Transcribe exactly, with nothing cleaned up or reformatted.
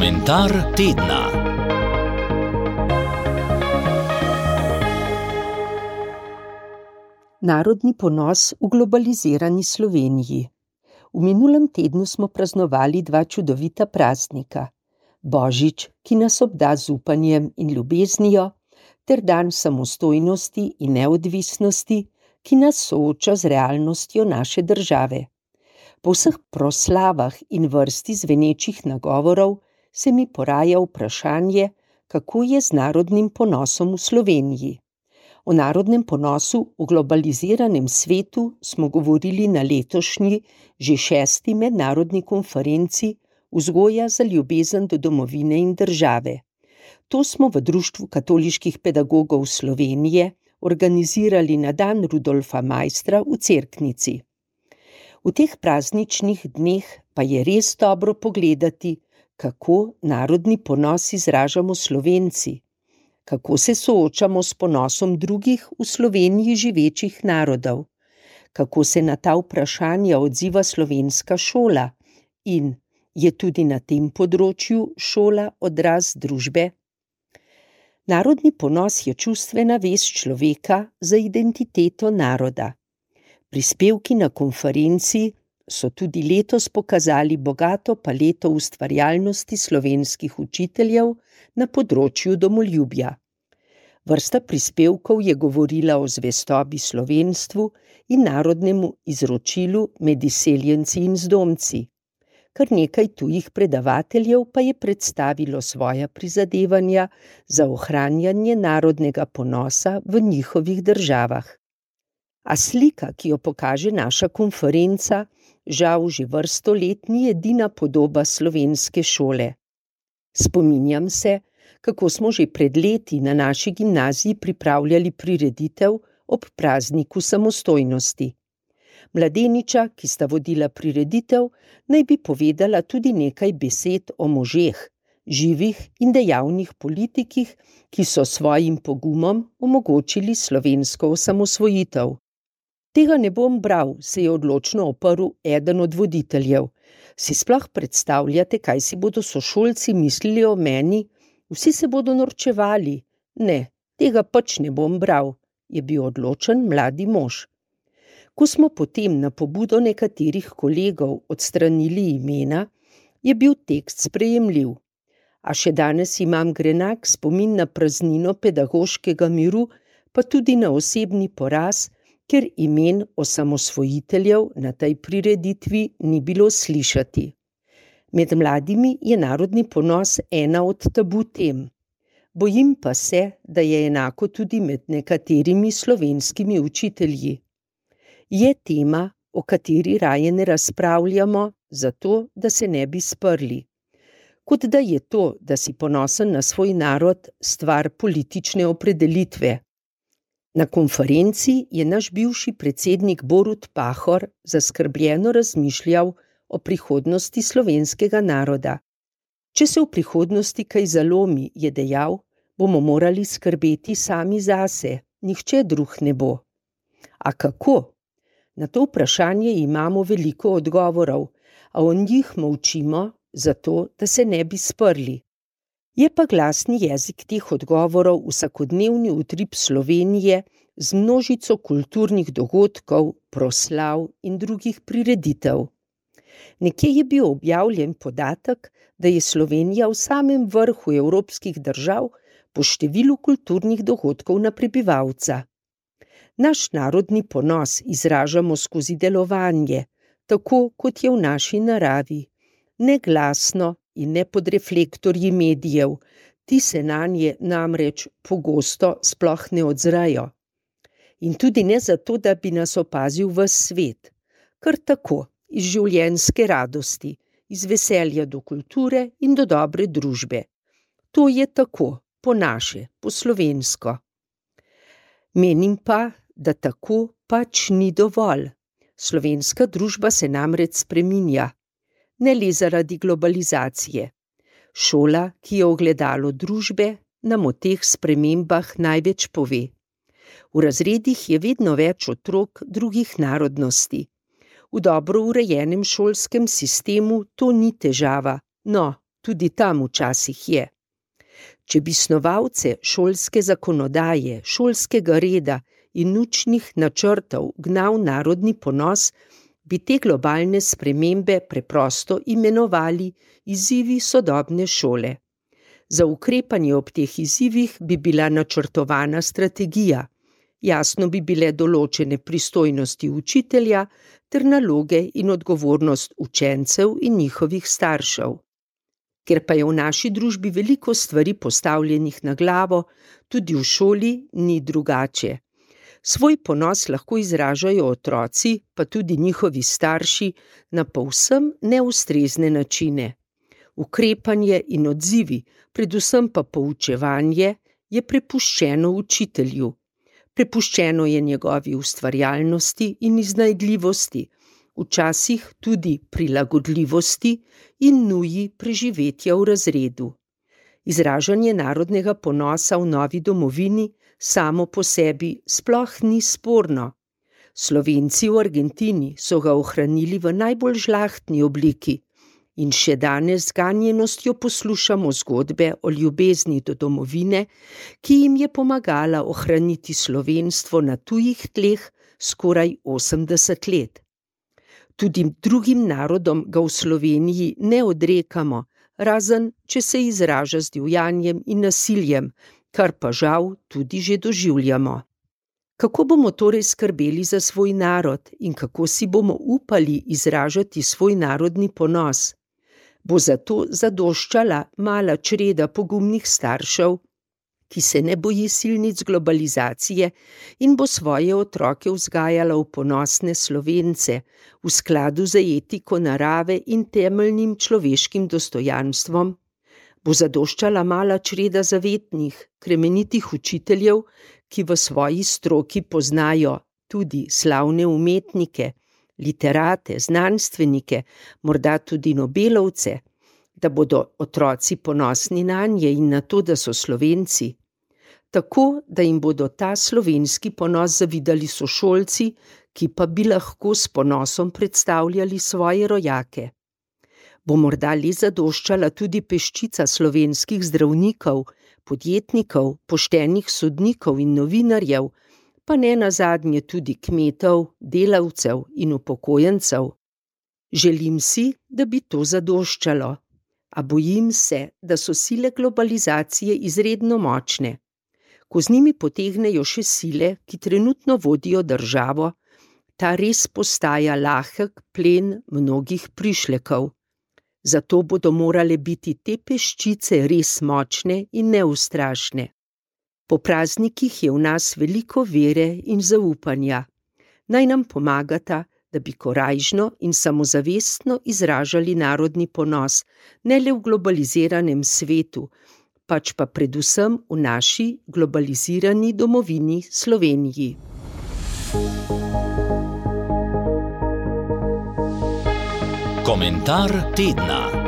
Komentar tedna. Narodni ponos v globalizirani Sloveniji. V minulem tednu smo praznovali dva čudovita praznika. Božič, ki nas obda z upanjem in ljubeznijo, ter dan samostojnosti in neodvisnosti, ki nas sooča z realnostjo naše države. Po vseh proslavah in vrsti zvenečih nagovorov se mi poraja vprašanje, kako je z narodnim ponosom v Sloveniji. O narodnem ponosu v globaliziranem svetu smo govorili na letošnji, že šesti mednarodni konferenci Vzgoja za ljubezen do domovine in države. To smo v Društvu katoliških pedagogov Slovenije organizirali na dan Rudolfa Maistra v Cerknici. V teh prazničnih dneh pa je res dobro pogledati, kako narodni ponos izražamo Slovenci, kako se soočamo s ponosom drugih v Sloveniji živečih narodov, kako se na ta vprašanja odziva slovenska šola in je tudi na tem področju šola odraz družbe. Narodni ponos je čustvena vez človeka za identiteto naroda. Prispevki na konferenci so tudi letos pokazali bogato paleto ustvarjalnosti slovenskih učiteljev na področju domoljubja. Vrsta prispevkov je govorila o zvestobi slovenstvu in narodnemu izročilu med izseljenci in zdomci. Kar nekaj tujih predavateljev pa je predstavilo svoja prizadevanja za ohranjanje narodnega ponosa v njihovih državah. A slika, ki jo pokaže naša konferenca, žal že vrsto let ni edina podoba slovenske šole. Spominjam se, kako smo že pred leti na naši gimnaziji pripravljali prireditev ob prazniku samostojnosti. Mladeniča, ki sta vodila prireditev, naj bi povedala tudi nekaj besed o možeh, živih in dejavnih politikih, ki so svojim pogumom omogočili slovensko osamosvojitev. Tega ne bom bral, se je odločno oprl eden od voditeljev. Si sploh predstavljate, kaj si bodo sošolci mislili o meni? Vsi se bodo norčevali. Ne, tega pač ne bom bral, je bil odločen mladi mož. Ko smo potem na pobudo nekaterih kolegov odstranili imena, je bil tekst sprejemljiv. A še danes imam grenak spomin na praznino pedagoškega miru, pa tudi na osebni poraz, ker imen osamosvojiteljev na tej prireditvi ni bilo slišati. Med mladimi je narodni ponos ena od tabu tem. Bojim pa se, da je enako tudi med nekaterimi slovenskimi učitelji. Je tema, o kateri raje ne razpravljamo, zato, da se ne bi sprli. Kot da je to, da si ponosen na svoj narod, stvar politične opredelitve. Na konferenci je naš bivši predsednik Borut Pahor zaskrbljeno razmišljal o prihodnosti slovenskega naroda. Če se v prihodnosti kaj zalomi, je dejal, bomo morali skrbeti sami zase, nihče drug ne bo. A kako? Na to vprašanje imamo veliko odgovorov, a o njih molčimo, zato, da se ne bi sprli. Je pa glasni jezik teh odgovorov vsakodnevni utrip Slovenije z množico kulturnih dogodkov, proslav in drugih prireditev. Nekje je bil objavljen podatek, da je Slovenija v samem vrhu evropskih držav po številu kulturnih dogodkov na prebivalca. Naš narodni ponos izražamo skozi delovanje, tako kot je v naši naravi, ne glasno in ne pod reflektorji medijev, ti se nanje namreč pogosto sploh ne odzrajo. In tudi ne zato, da bi nas opazil ves svet, kar tako, iz življenjske radosti, iz veselja do kulture in do dobre družbe. To je tako, po naše, po slovensko. Menim pa, da tako pač ni dovolj. Slovenska družba se namreč spreminja. Ne le zaradi globalizacije. Šola, ki je ogledalo družbe, nam o teh spremembah največ pove. V razredih je vedno več otrok drugih narodnosti. V dobro urejenem šolskem sistemu to ni težava, no, tudi tam včasih je. Če bi snovalce šolske zakonodaje, šolskega reda in učnih načrtov gnal narodni ponos, bi te globalne spremembe preprosto imenovali izzivi sodobne šole. Za ukrepanje ob teh izzivih bi bila načrtovana strategija, jasno bi bile določene pristojnosti učitelja ter naloge in odgovornost učencev in njihovih staršev. Ker pa je v naši družbi veliko stvari postavljenih na glavo, tudi v šoli ni drugače. Svoj ponos lahko izražajo otroci, pa tudi njihovi starši, na povsem neustrezne načine. Ukrepanje in odzivi, predvsem pa poučevanje, je prepuščeno učitelju. Prepuščeno je njegovi ustvarjalnosti in iznajdljivosti, včasih tudi prilagodljivosti in nuji preživetja v razredu. Izražanje narodnega ponosa v novi domovini samo po sebi sploh ni sporno. Slovenci v Argentini so ga ohranili v najbolj žlahtni obliki in še danes z ganjenostjo poslušamo zgodbe o ljubezni do domovine, ki jim je pomagala ohraniti slovenstvo na tujih tleh skoraj osemdeset let. Tudi drugim narodom ga v Sloveniji ne odrekamo, razen če se izraža z divjanjem in nasiljem, kar pa žal tudi že doživljamo. Kako bomo torej skrbeli za svoj narod in kako si bomo upali izražati svoj narodni ponos? Bo zato zadoščala mala čreda pogumnih staršev, ki se ne boji silnic globalizacije in bo svoje otroke vzgajala v ponosne Slovence, v skladu z etiko narave in temeljnim človeškim dostojanstvom? Bo zadoščala mala čreda zavetnih, kremenitih učiteljev, ki v svoji stroki poznajo tudi slavne umetnike, literate, znanstvenike, morda tudi Nobelovce, da bodo otroci ponosni nanje in na to, da so Slovenci, tako da jim bodo ta slovenski ponos zavidali sošolci, ki pa bi lahko s ponosom predstavljali svoje rojake. Bo morda le zadoščala tudi peščica slovenskih zdravnikov, podjetnikov, poštenih sodnikov in novinarjev, pa ne nazadnje tudi kmetov, delavcev in upokojencev. Želim si, da bi to zadoščalo, a bojim se, da so sile globalizacije izredno močne. Ko z njimi potegnejo še sile, ki trenutno vodijo državo, ta res postaja lahek plen mnogih prišlekov. Zato bodo morale biti te peščice res močne in neustrašne. Po praznikih je v nas veliko vere in zaupanja. Naj nam pomagata, da bi korajžno in samozavestno izražali narodni ponos, ne le v globaliziranem svetu, pač pa predvsem v naši globalizirani domovini Sloveniji. Komentar tedna.